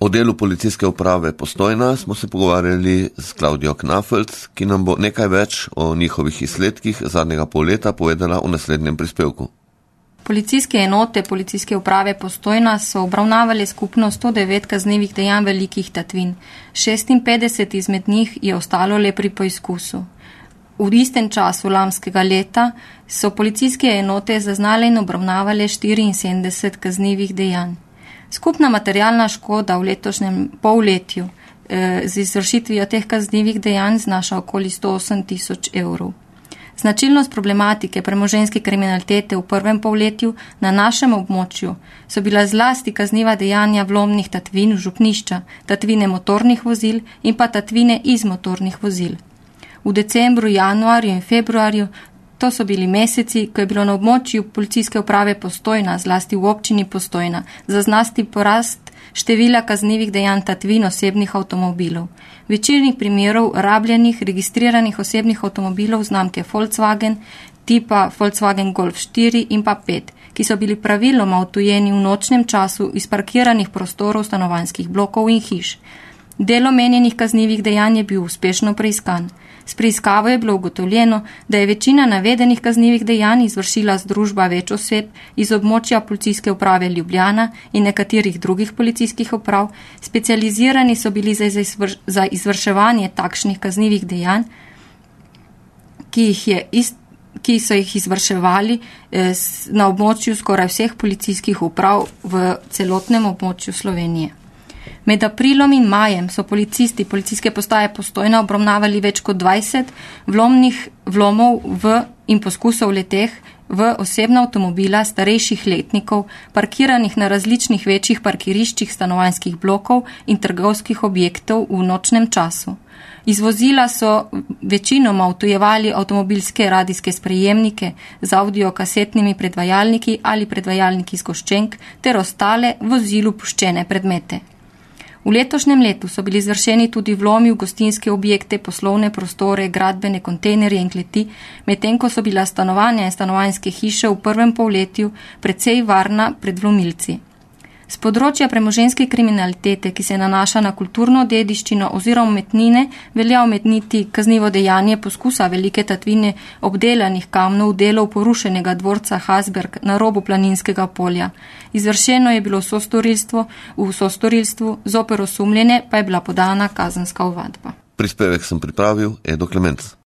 O delu policijske uprave Postojna smo se pogovarjali s Klaudijo Knafelc, ki nam bo nekaj več o njihovih izsledkih zadnjega pol leta povedala v naslednjem prispevku. Policijske enote policijske uprave Postojna so obravnavali skupno 109 kaznivih dejanj velikih tatvin. 56 izmed njih je ostalo le pri poizkusu. V istem času lanskega leta so policijske enote zaznale in obravnavale 74 kaznivih dejanj. Skupna materialna škoda v letošnjem polletju z izvršitvijo teh kaznivih dejanj znaša okoli 108 tisoč evrov. Značilnost problematike premoženjske kriminalitete v prvem polletju na našem območju so bila zlasti kazniva dejanja vlomnih tatvin v župnišča, tatvine motornih vozil in pa tatvine iz motornih vozil. V decembru, januarju in februarju, to so bili meseci, ko je bilo na območju policijske uprave Postojna, zlasti v občini Postojna, zaznati porast števila kaznivih dejanj tatvin osebnih avtomobilov. Večini primerov rabljenih, registriranih osebnih avtomobilov znamke Volkswagen, tipa Volkswagen Golf 4 in pa 5, ki so bili praviloma odtujeni v nočnem času iz parkiranih prostorov stanovanjskih blokov in hiš. Del omenjenih kaznivih dejanj je bil uspešno preiskan. S preiskavo je bilo ugotovljeno, da je večina navedenih kaznivih dejanj izvršila združba več oseb iz območja policijske uprave Ljubljana in nekaterih drugih policijskih uprav. Specializirani so bili za izvrševanje takšnih kaznivih dejanj, ki so jih izvrševali na območju skoraj vseh policijskih uprav v celotnem območju Slovenije. Med aprilom in majem so policisti policijske postaje Postojna obravnavali več kot 20 vlomov in poskusov leteh v osebna avtomobila starejših letnikov, parkiranih na različnih večjih parkiriščih stanovanjskih blokov in trgovskih objektov v nočnem času. Iz vozila so večinoma odtujevali avtomobilske radijske sprejemnike z audiokasetnimi predvajalniki ali predvajalniki zgoščenk ter ostale vozilu puščene predmete. V letošnjem letu so bili izvršeni tudi vlomi v gostinske objekte, poslovne prostore, gradbene kontejnerje in kleti, medtem ko so bila stanovanja in stanovanjske hiše v prvem polletju precej varna pred vlomilci. Z področja premoženjske kriminalitete, ki se nanaša na kulturno dediščino oziroma umetnine, velja omeniti kaznivo dejanje poskusa velike tatvine obdelanih kamnov delov porušenega dvorca Hasberg na robu Planinskega polja. Izvršeno je bilo v sostorilstvu, zoper osumljene pa je bila podana kazenska ovadba. Prispevek sem pripravil Edo Klemenc.